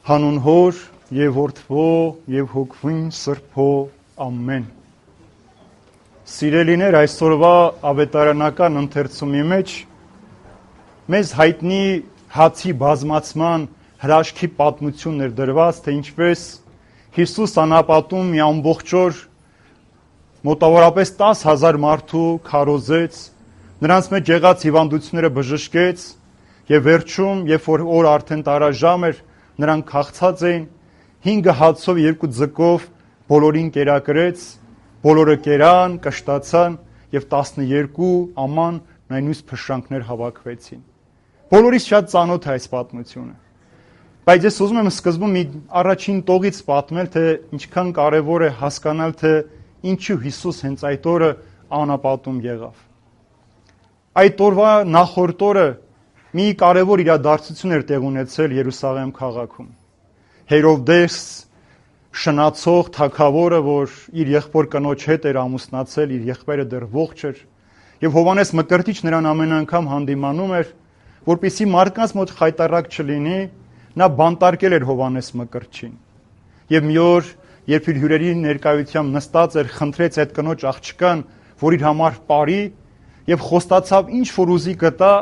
Հանուն Հոր եւ Որդվո եւ Հոգվին Սրբո ամեն։ Սիրելիներ, այսօրվա ավետարանական ընթերցումի մեջ մեզ հայտնի հացի բազմացման հրաշքի պատմությունն էր դրված, թե ինչպես Հիսուս անապատում մի ամբողջ օր մոտավորապես 10,000 մարդու քարոզեց, նրանց մեջ եղած հիվանդությունները բժշկեց եւ վերջում, երբ որ արդեն տարաժամ էր, նրանք քաղցած էին, 5 հացով 2 ձկով բոլորին կերակրեց, բոլորը կերան, կշտացան եւ 12 աման նույնիսկ փշրանքներ հավաքվեցին։ Բոլորից շատ ծանոթ է այս պատմությունը։ Բայց ես ուզում եմ սկզբում մի առաջին տողից պատմել, թե ինչքան կարեւոր է հասկանալ, թե ինչու Հիսուս հենց այդ օրը անապատում եղավ։ Այդ օրվա նախորդ օրը մի կարևոր իրադարձություն էր տեղ ունեցել Երուսաղեմ քաղաքում։ Հերովդես շնացող թագավորը, որ իր եղբոր կնոջ հետ էր ամուսնացել, իր եղբայրը դեռ ողջ էր, եւ Հովհաննես Մկրտիչ նրան ամեն անգամ հանդիմանում էր, որպեսզի մարդկանց մոտ խայտառակ չլինի, նա բանտարկել էր Հովհաննես Մկրտչին։ Եվ մի օր, երբ իր հյուրերի ներկայությամբ նստած էր, խնդրեց այդ կնոջ աղջկան, որ իր համար ապարի, եւ խոստացավ ինչ որ ուզի գտա,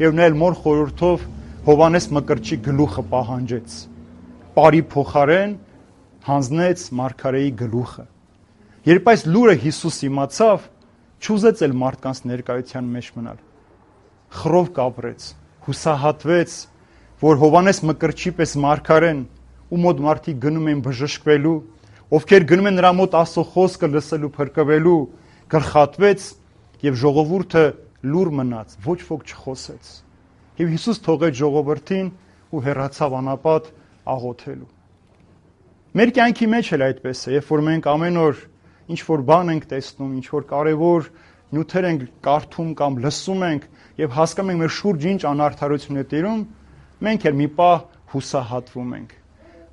եւ նա էլ մոր խորհրդով Հովհաննես Մկրտչի գլուխը պահանջեց։ Պարի փոխարեն հանձնեց մարգարեի գլուխը։ Երբ այս լուրը Հիսուս իմացավ, չուզեց էլ մարդկանց ներկայության մեջ մնալ։ Խռով կապրեց, հուսահատվեց, որ Հովհաննես Մկրտչի պես մարգարեն, ու մոտ մարդիկ գնում են բժշկվելու, ովքեր գնում են նրա մոտ Աստծո խոսքը լսելու, փրկվելու, գլխատվեց եւ ժողովուրդը լուր մնաց, ոչ ոք չխոսեց։ Եվ Հիսուս թողեց ժողովրդին ու հեռացավ անապատ աղոթելու։ Մեր կյանքի մեջ էլ այդպես է, երբ որ մենք ամեն օր ինչ որ բան ենք տեսնում, ինչ որ կարևոր նյութեր ենք կարդում կամ լսում ենք եւ հասկանում ենք մեր շուրջ ինչ անարդարություն է տիրում, մենք էլ մի պահ հուսահատվում ենք։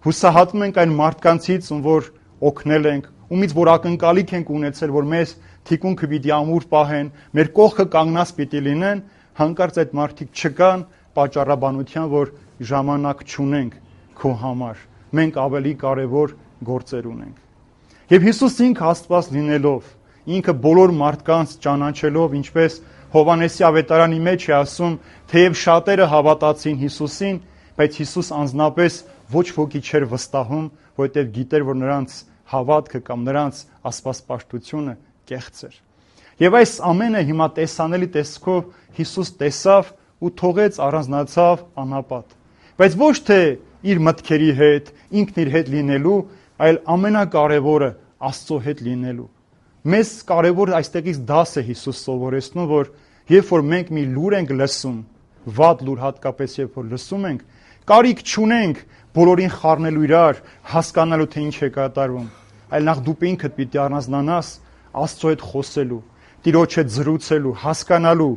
Հուսահատվում ենք այն մարդկանցից, ում որ օգնել ենք, ումից որ ակնկալիք ենք ունեցել, որ մեզ թիկունքը պիտի ամուր պահեն, մեր կողքը կանգնած պիտի լինեն, հանկարծ այդ մարդիկ չկան պատճառաբանության, որ ժամանակ չունենք քո համար, մենք ավելի կարևոր գործեր ունենք։ Եվ Հիսուս ինքը Աստված լինելով, ինքը բոլոր մարդկանց ճանաչելով, ինչպես Հովհաննեսի ավետարանի մեջ է ասում, թեև շատերը հավատացին Հիսուսին, բայց Հիսուս անձնապես ոչ ոքի չէր վստահում, որովհետև գիտեր, որ նրանց հավատքը կամ նրանց աստվածպաշտությունը կեղծ էր։ Եվ այս ամենը հիմա տեսանելի տեսքով Հիսուս տեսավ ու թողեց առանձնացավ անապատ։ Բայց ոչ թե իր մտքերի հետ, ինքն իր հետ լինելու, այլ ամենակարևորը Աստծո հետ լինելու։ Մեզ կարևոր այստեղից դաս է Հիսուս սովորեցնում, որ երբ որ մենք մի լուր ենք լսում, վատ լուր հատկապես երբ որ լսում ենք, կարիք չունենք բոլորին խառնելու իրար, հասկանալու թե ինչ է կատարվում, այլ նախ դու ինքդ պիտի առանձնանաս Աստծո հետ խոսելու, Տիրոջ հետ զրուցելու, հասկանալու։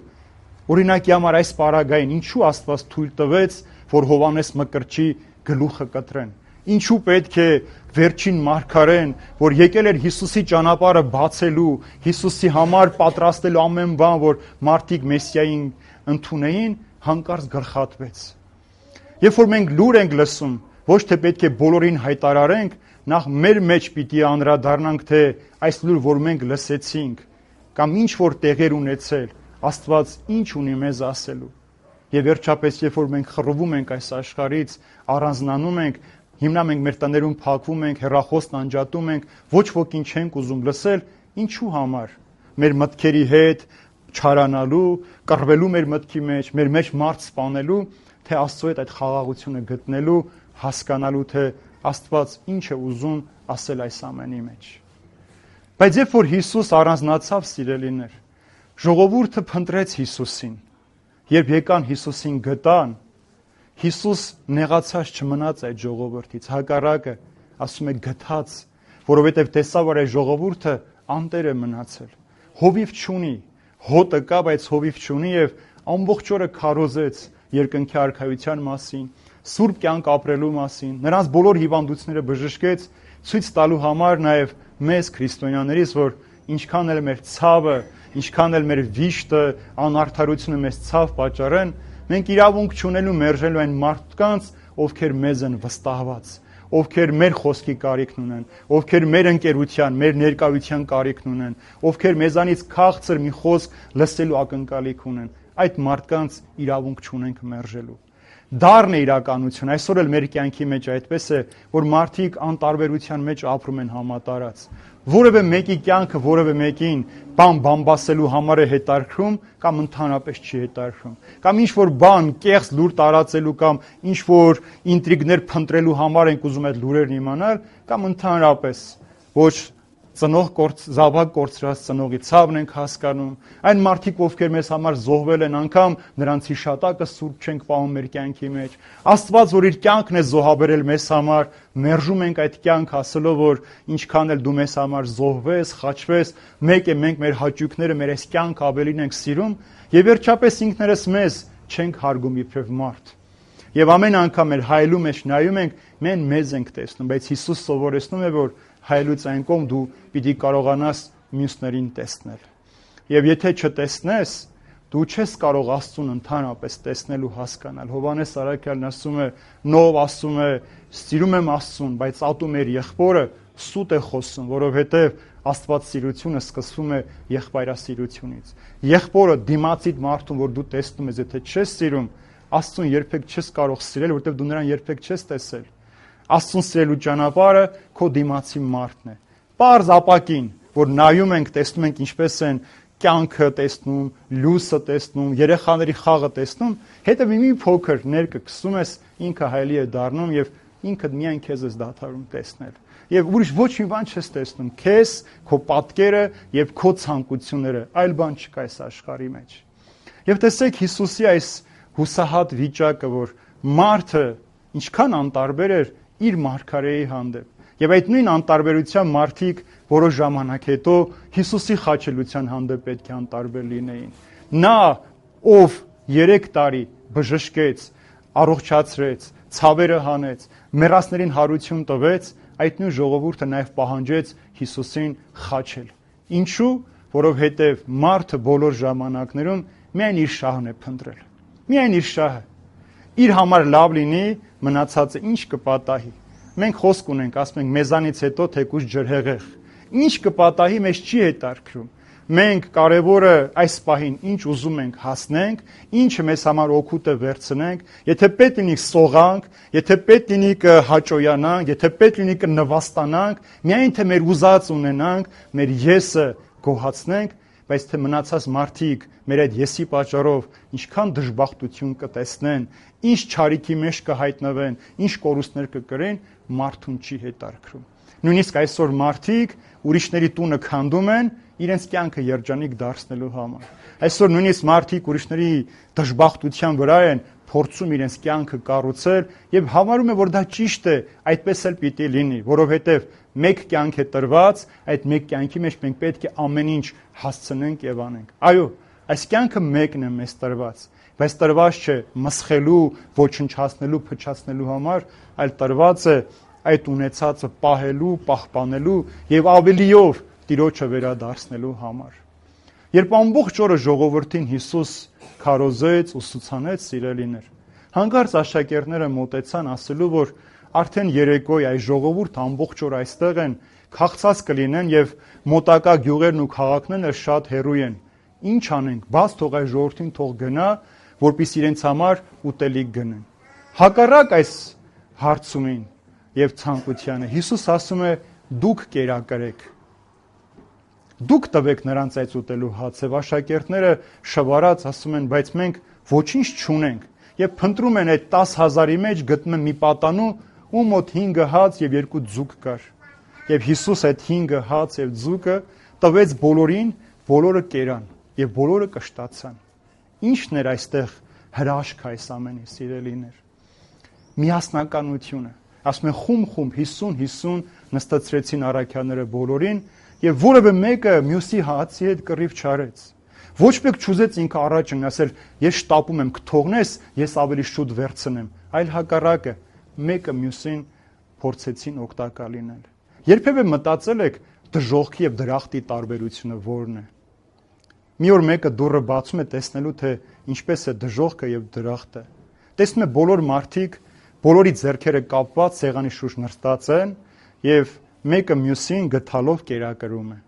Օրինակի համար այս պարագային ինչու Աստված թույլ տվեց, որ Հովհաննես Մկրտչի գլուխը կտրեն։ Ինչու պետք է վերջին մարգարեն, որ եկել էր Հիսուսի ճանապարհը բացելու, Հիսուսի համար պատրաստելու ամեն բան, որ մարդիկ Մեսիային ընդունեին, հանկարծ գլխատվեց։ Երբ որ մենք լուր ենք լսում, ոչ թե պետք է բոլորին հայտարարենք, նախ մեր մեջ պիտի անդրադառնանք, թե այս լուր, որ մենք լսեցինք, կամ ինչ որ տեղեր ունեցել, Աստված ինչ ունի մեզ ասելու։ Եվ վերջապես, երբ որ մենք խռովում ենք այս աշխարհից, առանձնանում ենք, հիմնամ ենք մեր տներում, փակվում ենք, հեռախոսն անջատում ենք, ոչ ոքին չենք ուզում լսել, ինչու համար։ Մեր մտքերի հետ չարանալու, կռվելու մեր մտքի մեջ մարդ սպանելու, թե Աստծո հետ այդ խաղաղությունը գտնելու, հասկանալու, թե Աստված ինչ է ուզում ասել այս ամենի մեջ։ Բայց երբ որ Հիսուս առանձնացավ, սիրելիներ, ժողովուրդը փնտրեց Հիսուսին։ Երբ եկան Հիսուսին գտան, Հիսուս նեղացած չմնաց այդ ժողովրդից, հակառակը, ասում է գթած, որովհետև տեսավ, որ այդ ժողովուրդը անտեր է մնացել։ Հովիվ չունի, հոտը կա, բայց հովիվ չունի եւ ամբողջ օրը քարոզեց երկնքի արքայության մասին, սուրբ կյանք ապրելու մասին, նրանց բոլոր հիվանդությունները բժշկեց, ցույց տալու համար նաեւ մեզ քրիստոնյաներից, որ ինչքան էլ մեր ցավը, ինչքան էլ մեր վիշտը, անարդարությունը մեզ ցավ պատճառեն, մենք իրավունք չունելու մերժելու այն մարդկանց, ովքեր մեզ են վստահված, ովքեր մեր խոսքի կարիքն ունեն, ովքեր մեր ընկերության, մեր ներկայության կարիքն ունեն, ովքեր մեզանից քաղցր մի խոսք լսելու ակնկալիք ունեն, այդ մարդկանց իրավունք չունենք մերժելու։ Դառն է իրականություն, այսօր էլ մեր կյանքի մեջ այդպես է, որ մարդիկ անտարբերության մեջ ապրում են համատարած։ Որևէ մեկի կյանքը որևէ մեկին բամբասելու համար է հետարքրում կամ ընդհանրապես չի հետարքրում, կամ ինչ-որ բան կեղծ լուր տարածելու կամ ինչ-որ ինտրիգներ փնտրելու համար ենք ուզում այդ լուրերն իմանալ, կամ ընդհանրապես ոչ զավակ կորցրած ծնողի ցավն ենք հասկանում, այն մարդիկ, ովքեր մեզ համար զոհվել են, անգամ նրանց հիշատակը սուրբ չենք պահում մեր կյանքի մեջ, Աստված, որ իր կյանքն է զոհաբերել մեզ համար, մերժում ենք այդ կյանք, ասելով, որ ինչքան էլ դու մեզ համար զոհվես, խաչվես, մեկ է մենք մեր հաճույքները, մեր այս կյանք ավելին ենք սիրում, եւ վերջապես ինքներս մեզ չենք հարգում իբրև մարդ։ Եվ ամեն անգամ մեր հայելու մեջ նայում ենք, մենք մեզ ենք տեսնում, բայց Հիսուս սովորեցնում է, որ հայելուց այն կողմ դու պիտի կարողանաս մյուսներին տեսնել։ Եվ եթե չտեսնես, դու չես կարող Աստծուն ընդհանրապես տեսնել ու հասկանալ։ Հովհաննես Առաքյալն ասում է, Նով ասում է, սիրում եմ Աստծուն, բայց ատում էր եղբորը, սուտ է խոսում, որովհետև Աստվածասիրությունը սկսվում է եղբայրասիրությունից։ Եղբորը դիմացիդ մարդուն, որ դու տեսնում ես, եթե չես սիրում, Աստծուն երբեք չես կարող սիրել, որովհետև դու նրան երբեք չես տեսել։ Աստծուն սիրելու ճանապարհը քո դիմացի մարդն է։ Պարզ ապակին, որ նայում ենք, տեսնում ենք ինչպես են կյանքը տեսնում, լույսը տեսնում, երեխաների խաղը տեսնում, հետո մի փոքր ներքը գցում ես, ինքը հայելի է դառնում եւ ինքդ միայն քեզ ես դադարում տեսնել։ Եվ ուրիշ ոչ մի բան չես տեսնում, քեզ, քո պատկերը եւ քո ցանկությունները, այլ բան չկա այս աշխարհի մեջ։ Եվ տեսեք Հիսուսի այս հուսահատ վիճակը, որ մարդը ինչքան անտարբեր էր իր մարգարեի հանդեպ։ Եվ այդ նույն անտարբերության մարդիկ որոշ ժամանակ հետո Հիսուսի խաչելության հանդեպ պետք է անտարբեր լինեին։ Նա, ով 3 տարի բժշկեց, առողջացրեց, ցավերը հանեց, մեռածներին հարություն տվեց, այդ նույն ժողովուրդը նաև պահանջեց Հիսուսին խաչել։ Ինչու՞, որովհետև մարդը բոլոր ժամանակներում միայն իր շահն է փնտրել։ Միայն իր շահը։ Իր համար լավ լինի, մնացածը ինչ կպատահի։ Մենք խոսք ունենք, ասում ենք մեզանից հետո թեկուզ ջրհեղեղ։ Ինչ կպատահի մեզ չի հետարքրում։ Մենք կարևորը այս պահին ինչ ուզում ենք հասնենք, ինչը մեզ համար օգուտ է վերցնենք, եթե պետք լինի սողանք, եթե պետք լինի կհաճոյանանք, եթե պետք լինի կնվաստանանք, միայն թե մեր ուզած ունենանք, մեր եսը գոհացնենք, բայց թե մնացած մարդիկ մեր այդ եսի պատճառով ինչքան դժբախտություն կտեսնեն, ինչ չարիքի մեջ կհայտնվեն, ինչ կորուստներ կկրեն, մարդուն չի հետարքրում։ Նույնիսկ այսօր մարդիկ ուրիշների տունը քանդում են իրենց կյանքը երջանիկ դարձնելու համար։ Այսօր նույնիսկ մարդիկ ուրիշների դժբախտության վրա են փորձում իրենց կյանքը կառուցել եւ համարում են, որ դա ճիշտ է, այդպես էլ պիտի լինի, որովհետեւ մեկ կյանք է տրված, այդ մեկ կյանքի մեջ մենք պետք է ամեն ինչ հասցնենք եւ անենք։ Այո, այս կյանքը մեկն է մեզ տրված, բայց տրված չէ մսխելու, ոչնչացնելու, փչացնելու համար, այլ տրված է այդ ունեցածը պահելու, պահպանելու եւ ավելիով Տիրոջը վերադարձնելու համար։ Երբ ամբողջ օրը ժողովրդին Հիսուս քարոզեց, ուսուցանեց, սիրելիներ, հանկարծ աշակերտները մոտեցան ասելու, որ արդեն երեկոյ այս ժողովուրդը ամբողջ օր այստեղ են, քաղցած կլինեն եւ մոտակա գյուղերն ու քաղաքներն շատ հեռու են։ Ինչ անենք, բաց թող այս ժողովրդին թող գնա, որպեսզի իրենց համար ուտելիք գնեն։ Հակառակ այս հարցումին եւ ցանկությանը Հիսուս ասում է՝ դուք կերակրեք։ Դուք տվեք նրանց այդ ուտելու հաց, եւ աշակերտները շվարած ասում են, բայց մենք ոչինչ չունենք, եւ փնտրում են այդ 10,000-ի մեջ գտնում են մի պատանու, ու մոտ 5 հաց եւ 2 ձուկ կար։ Եվ Հիսուս այդ 5 հաց եւ ձուկը տվեց բոլորին, բոլորը կերան եւ բոլորը կշտացան։ Ինչն էր այստեղ հրաշք այս ամենի, սիրելիներ։ Միասնականությունը։ Ասում են խումբ 50 նստացրեցին առաքյալները բոլորին եւ որևէ մեկը մյուսի հացի հետ կռիվ չարեց։ Ոչ մեկ չուզեց ինքը առաջ ասել, ես շտապում եմ կթողնես, ես ավելի շուտ վերցնեմ, այլ հակառակը, մեկը մյուսին փորձեցին օգտակար լինել։ Երբևէ մտածել եք դժոխքի եւ դրախտի տարբերությունը ո՞րն է։ Մի օր մեկը դուռը բացում է տեսնելու, թե ինչպես է դժոխքը եւ դրախտը։ Տեսնում է բոլոր մարդիկ բոլորի ձեռքերը կապված սեղանի շուրջ նստած են եւ մեկը մյուսին գթալով կերակրում է։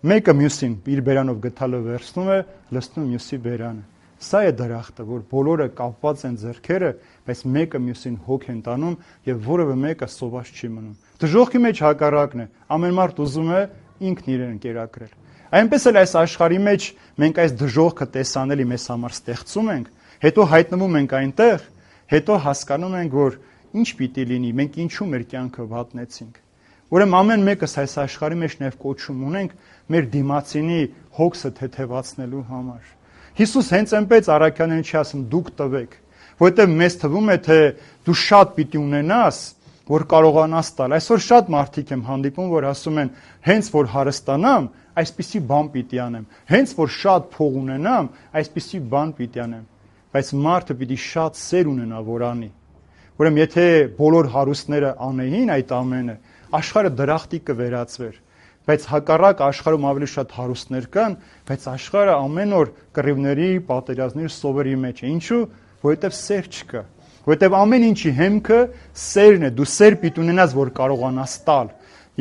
Մեկը մյուսին իր բերանով գթալը վերցնում է, լցնում մյուսի բերանը։ Սա է դրախտը, որ բոլորը կապված են ձեռքերը, բայց մեկը մյուսին հոգ են տանում եւ որևէ մեկը սոված չի մնում։ Դժոխքի մեջ հակառակն է, ամեն մարդ ուզում է ինքն իրեն կերակրել։ Այնպես էլ այս աշխարհի մեջ մենք այս դժոխքը տեսանելի մեզ համար ստեղծում ենք, հետո հայտնվում ենք այնտեղ, հետո հասկանում ենք, որ ինչ պիտի լինի, մենք ինչու մեր կյանքը վատնեցինք։ Ուրեմն ամեն մեկս այս աշխարհի մեջ նաև կոչում ունենք մեր դիմացինի հոգսը թեթևացնելու համար։ Հիսուս հենց այնպես առաքյալներին չի ասում դուք տվեք, որովհետև մեզ թվում է թե դու շատ պիտի ունենաս, որ կարողանաս տալ։ Այսօր շատ մարդիկ եմ հանդիպում, որ ասում են հենց որ հարստանամ, այսպիսի բան պիտի անեմ, հենց որ շատ փող ունենամ, այսպիսի բան պիտի անեմ։ Բայց մարդը պիտի շատ սեր ունենա, որ անի։ Ուրեմն եթե բոլոր հարուստները անեին այդ ամենը, աշխարհը դրախտի կվերածվեր, բայց հակառակ աշխարհում ավելի շատ հարուստներ կան, բայց աշխարհը ամեն օր կռիվների, պատերազմների, սովերի մեջ է։ Ինչու՞, որովհետև սեր չկա։ Որովհետև ամեն ինչի հեմքը սերն է, դու սեր պիտի ունենաս, որ կարողանաս տալ։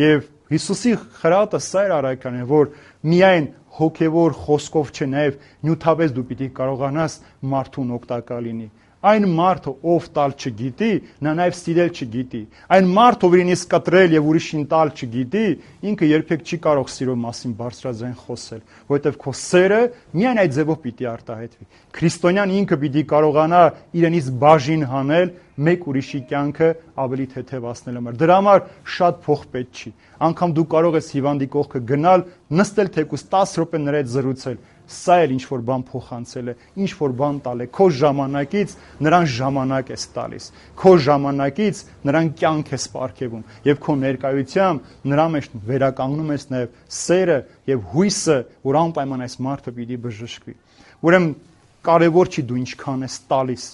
Եվ Հիսուսի խրատը սա էր առաքյալին, որ միայն հոգևոր խոսքով չէ, նաև նյութապես դու պիտի կարողանաս մարդուն օգտակար լինի։ Այն մարդը, ով տալ չգիտի, նա նաև սիրել չգիտի։ Այն մարդը, ով իրենից կտրել եւ ուրիշին տալ չգիտի, ինքը երբեք չի կարող սիրո մասին բարձրաձայն խոսել, որովհետեւ քո սերը միայն այդ ձևով պիտի արտահայտվի։ Քրիստոնյան ինքը պիտի կարողանա իրենից բաժին հանել մեկ ուրիշի կյանքը ավելի թեթևացնել համար։ Դրա համար շատ փող պետք չի։ Անկամ դու կարող ես հիվանդի կողքը գնալ, նստել թեկուզ 10 րոպե նրա հետ զրուցել։ Սա էլ ինչ-որ բան փոխանցել է, ինչ-որ բան տալ է, քո ժամանակից նրան ժամանակ ես տալիս, քո ժամանակից նրան կյանք ես պարգևում եւ քո ներկայությամբ նրա մեջ վերականգնում ես նաեւ սերը եւ հույսը, որ անպայման այս մարդը պիտի բժշկվի։ Ուրեմն կարեւոր չի դու ինչքան ես տալիս,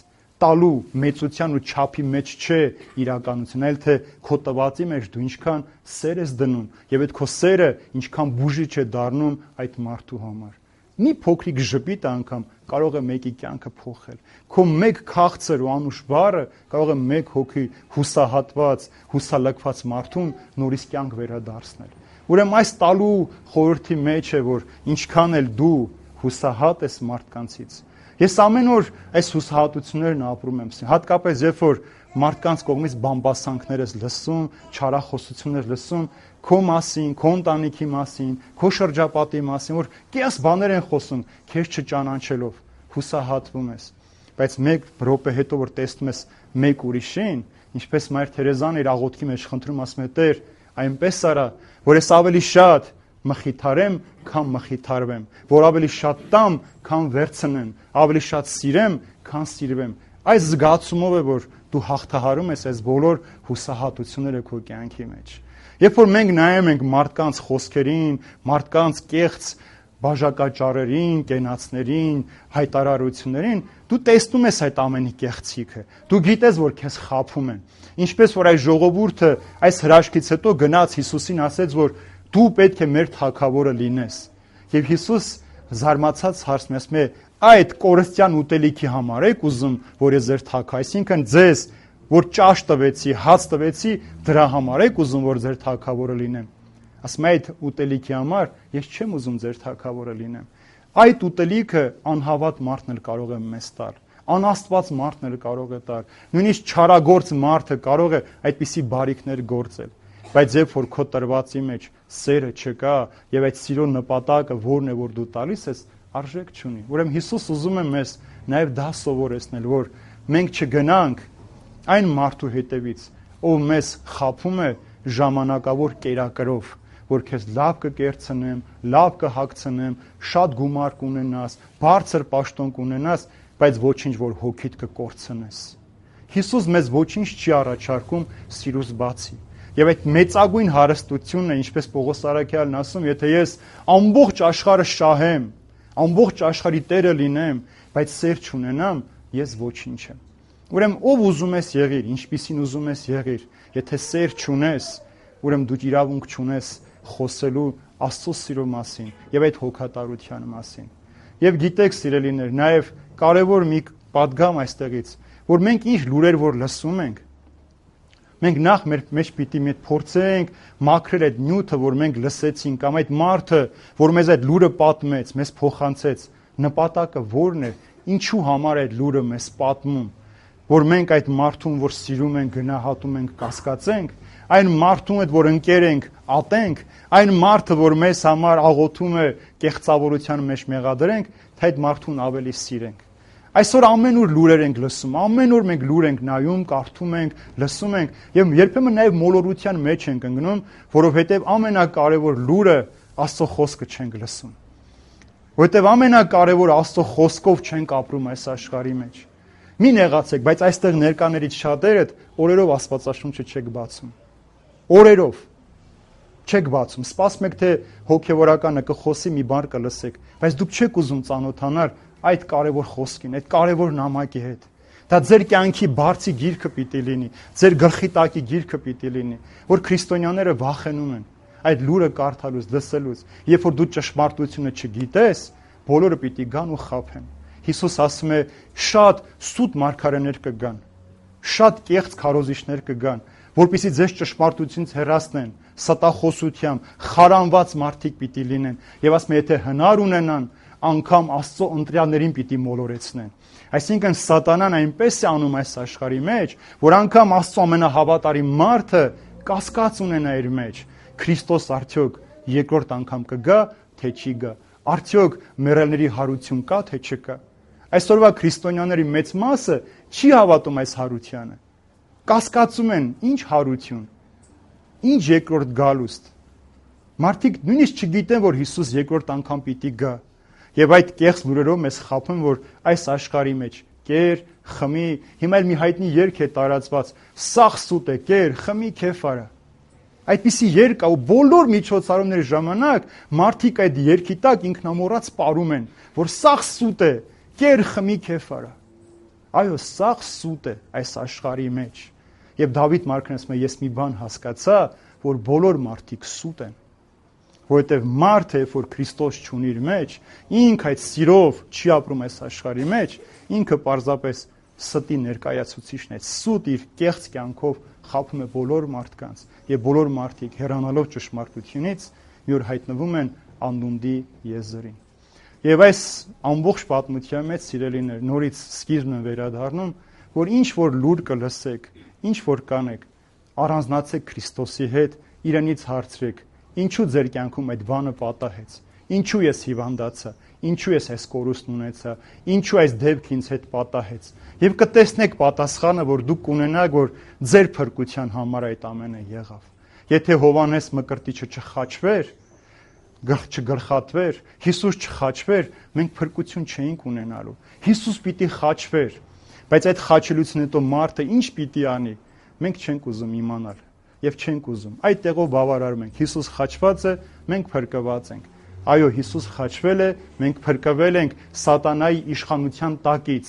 տալու մեծության ու չափի մեջ չէ իրականություն, այլ թե քո տվածի մեջ դու ինչքան սեր ես դնում եւ այդ քո սերը ինչքան բուժիչ է դառնում այդ մարդու համար։ Մի փոքրիկ ժպիտ անգամ կարող է մեկի կյանքը փոխել։ Քո մեկ քաղցր ու անուշ բառը կարող է մեկ հոգի հուսահատված, հուսալքված մարդուն նորից կյանք վերադարձնել։ Ուրեմն այս տալու խորհրդի մեջ է, որ ինչքան էլ դու հուսահատ ես մարդկանցից։ Ես ամեն օր այս հուսահատություններն ապրում եմ, հատկապես երբ որ մարդկանց կողմից բամբասանքներ ես լսում, չարախոսություններ լսում, քո մասին, քո ընտանիքի մասին, քո շրջապատի մասին, որ կես բաներ են խոսում, քեզ չճանաչելով, հուսահատվում ես։ Բայց մեկ րոպե հետո որ տեսնում ես մեկ ուրիշին, ինչպես Մայր Թերեզան իր աղոթքի մեջ խնդրում ասում է. Տեր, այնպես արա, որ ես ավելի շատ մխիթարեմ, քան մխիթարվեմ, որ ավելի շատ տամ, քան վերցնեմ, ավելի շատ սիրեմ, քան սիրվեմ։ Այս զգացումով է, որ դու հաղթահարում ես այս բոլոր հուսահատությունները քո կյանքի մեջ։ Երբ որ մենք նայում ենք մարդկանց խոսքերին, մարդկանց կեղծ բաժակաճառերին, կենացներին, հայտարարություններին, դու տեսնում ես այդ ամենի կեղծիքը։ Դու գիտես, որ քեզ խաբում են։ Ինչպես որ այս ժողովուրդը այս հրաշքից հետո գնաց Հիսուսին ասեց, որ դու պետք է մեր թագավորը լինես։ Եվ Հիսուս զարմացած հարցնում է, ասում է. այդ կորստյան ուտելիքի համար եք ուզում, որ ես ձեր թագ, այսինքն ձեզ, որ ճաշ տվեցի, հաց տվեցի, դրա համար եք ուզում, որ ձեր թագավորը լինեմ։ Ասում է, այդ ուտելիքի համար ես չեմ ուզում ձեր թագավորը լինեմ։ Այդ ուտելիքը անհավատ մարդն էլ կարող է մեզ տալ, անաստված մարդն էլ կարող է տալ, նույնիսկ չարագործ մարդը կարող է այդպիսի բարիքներ գործել։ Բայց երբ որ քո տրվածի մեջ սերը չկա եւ այդ սիրո նպատակը որն է, որ դու տալիս ես, արժեք չունի։ Ուրեմն Հիսուս ուզում է մեզ նաեւ դա սովորեցնել, որ մենք չգնանք այն մարդու հետևից, ով մեզ խաբում է ժամանակավոր կերակրով, որ քեզ լավ կկերցնեմ, լավ կհագցնեմ, շատ գումար կունենաս, բարձր պաշտոն կունենաս, բայց ոչինչ որ հոգիդ կկորցնես։ Հիսուս մեզ ոչինչ չի առաջարկում սիրուց բացի։ Եվ այդ մեծագույն հարստությունն է, ինչպես Պողոս առաքյալն ասում, եթե ես ամբողջ աշխարհը շահեմ, ամբողջ աշխարհի տերը լինեմ, բայց սեր չունենամ, ես ոչինչ եմ։ Ուրեմն ով ուզում ես եղիր, ինչպիսին ուզում ես եղիր, եթե սեր չունես, ուրեմն դու իրավունք չունես խոսելու Աստծո սիրո մասին եւ այդ հոգատարության մասին։ Եվ գիտեք, սիրելիներ, նաեւ կարեւոր մի պատգամ այստեղից, որ մենք ինչ լուրեր որ լսում ենք, մենք նախ մեր մեջ պիտի մի փորձենք մաքրել այդ նյութը, որ մենք լսեցինք, կամ այդ մարդը, որ մեզ այդ լուրը պատմեց, մեզ փոխանցեց, նպատակը ո՞րն է, ինչու համար այդ լուրը մեզ պատմում, որ մենք այդ մարդուն, որ սիրում ենք, գնահատում ենք, կասկածենք, այն մարդուն հետ, որ ընկեր ենք, ատենք, այն մարդը, որ մեզ համար աղոթում է, կեղծավորության մեջ մեղադրենք, թե այդ մարդուն ավելի սիրենք։ Այսօր ամենուր լուրեր ենք լսում, ամենուր մենք լուր ենք նայում, կարդում ենք, լսում ենք, եւ երբեմն նաեւ մոլորության մեջ ենք ընկնում, որովհետեւ ամենակարևոր լուրը Աստծո խոսքը չենք լսում։ Որովհետեւ ամենակարևոր Աստծո խոսքով չենք ապրում այս աշխարհի մեջ։ Մի նեղացեք, բայց այստեղ ներկաներից շատերդ օրերով Աստվածաշունչը չեք բացում։ Օրերով չեք բացում։ Սպասում եք, թե հոգեվորականը կխոսի, մի բան կլսեք, բայց դուք չեք ուզում ծանոթանալ այդ կարևոր խոսքին, այդ կարևոր նամակի հետ։ Դա ձեր կյանքի բարձի գիրքը պիտի լինի, ձեր գլխի տակի գիրքը պիտի լինի, որ քրիստոնյաները վախենում են այդ լուրը կարդալուց, լսելուց։ Երբ որ դու ճշմարտությունը չգիտես, բոլորը պիտի գան ու խաբեն։ Հիսուս ասում է, շատ սուտ մարգարեներ կգան, շատ կեղծ քարոզիչներ կգան, որպեսզի ձեզ ճշմարտությունից հեռացնեն, ստախոսությամբ, խարանված մարդիկ պիտի լինեն, եւ ասում է, եթե հնար ունենան, անգամ Աստծո ընտրյալներին պիտի մոլորեցնեն։ Այսինքն սատանան այնպես է անում այս աշխարհի մեջ, որ անգամ Աստծո ամենահավատարիմ մարդը կասկած ունենա իր մեջ։ Քրիստոս արդյոք երկրորդ անգամ կգա, թե չի գա։ Արդյոք մեռելների հարություն կա, թե չկա։ Այսօրվա քրիստոնյաների մեծ մասը չի հավատում այս հարությանը։ Կասկածում են, ինչ հարություն, ինչ երկրորդ գալուստ։ Մարդիկ նույնիսկ չգիտեն, որ Հիսուս երկրորդ անգամ պիտի գա։ Եվ այդ կեղծ լուրերով մեզ խաբում, որ այս աշխարհի մեջ կեր, խմի, հիմա էլ մի հայտնի երգ է տարածված, սաղ սուտ է, կեր, խմի, քեֆ արա։ Այդպիսի երգ կա, ու բոլոր միջոցառումների ժամանակ մարդիկ այդ երգի տակ ինքնամոռաց պարում են, որ սաղ սուտ է, կեր, խմի, քեֆ արա։ Այո, սաղ սուտ է այս աշխարհի մեջ։ Եվ Դավիթ մարքն ասում է, ես մի բան հասկացա, որ բոլոր մարդիկ սուտ են։ Որովհետև մարդը, երբ որ Քրիստոս չունի իր մեջ, ինքը այդ սիրով չի ապրում այս աշխարհի մեջ, ինքը պարզապես ստի ներկայացուցիչն է, սուտ իր կեղծ կյանքով խաբում է բոլոր մարդկանց, եւ բոլոր մարդիկ հեռանալով ճշմարտությունից մի օր հայտնվում են անդունդի եզրին։ Եվ այս ամբողջ պատմության մեջ, սիրելիներ, նորից սկիզբն են վերադառնում, որ ինչ որ լուր կլսեք, ինչ որ կանեք, առանձնացեք Քրիստոսի հետ, իրենից հարցրեք, ինչու ձեր կյանքում այդ բանը պատահեց, ինչու ես հիվանդացա, ինչու ես այս կորուստն ունեցա, ինչու այս դեպքը ինձ հետ պատահեց, եւ կտեսնեք պատասխանը, որ դուք կունենաք, որ ձեր փրկության համար այդ ամենը եղավ։ Եթե Հովանես Մկրտիչը չխաչվեր, չգլխատվեր, Հիսուս չխաչվեր, մենք փրկություն չէինք ունենալու։ Հիսուս պիտի խաչվեր, բայց այդ խաչելուց հետո մարդը ինչ պիտի անի, մենք չենք ուզում իմանալ եւ չենք ուզում։ Այդ տեղով բավարարում ենք։ Հիսուս խաչված է, մենք փրկված ենք։ Այո, Հիսուս խաչվել է, մենք փրկվել ենք սատանայի իշխանության տակից,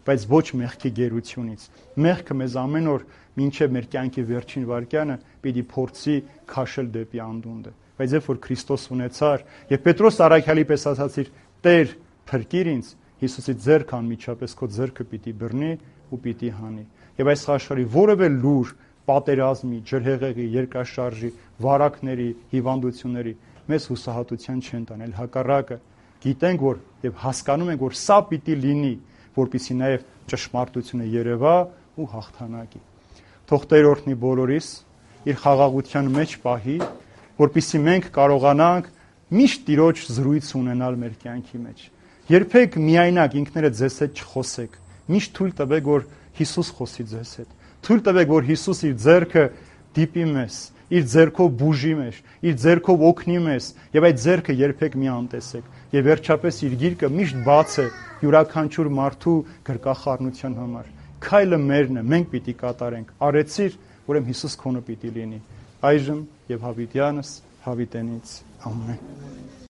բայց ոչ մեղքի գերությունից։ Մեղքը մեզ ամեն օր մինչև մեր կյանքի վերջին վայրկյանը պիտի փորձի քաշել դեպի անդունդը։ Բայց երբ որ Քրիստոս ունեցար, եւ Պետրոս առաքյալի պես ասացիր, Տեր, փրկիր ինձ, Հիսուսի ձեռքը անմիջապես քո ձեռքը պիտի բռնի ու պիտի հանի։ Եվ այս աշխարհի որևէ լուր, պատերազմի, ջրհեղեղի, երկրաշարժի, վարակների, հիվանդությունների մեզ հուսահատության չեն տանել, հակառակը գիտենք, որ եւ հասկանում ենք, որ սա պիտի լինի, որպեսզի նաեւ ճշմարտությունը երևա ու հաղթանակի։ Թող Տեր օրհնի բոլորիս, իր խաղաղության մեջ պահի, որպեսզի մենք կարողանանք միշտ Տիրոջ զրույց ունենալ մեր կյանքի մեջ։ Երբեք միայնակ ինքներդ ձեզ հետ չխոսեք, միշտ թույլ տվեք, որ Հիսուս խոսի ձեզ հետ։ Թույլ տվեք, որ Հիսուս իր ձեռքը դիպի մեզ, իր ձեռքով բուժի մեզ, իր ձեռքով օգնի մեզ, եւ այդ ձեռքը երբեք մի անտեսեք։ Եվ վերջապես իր գիրկը միշտ բաց է յուրաքանչյուր մարդու գրկախառնության համար։ Քայլը մերն է, մենք պիտի կատարենք։ Արեցիր, ուրեմն Հիսուս քոնը պիտի լինի։ Այժմ եւ հավիտյանս հավիտենից ամեն։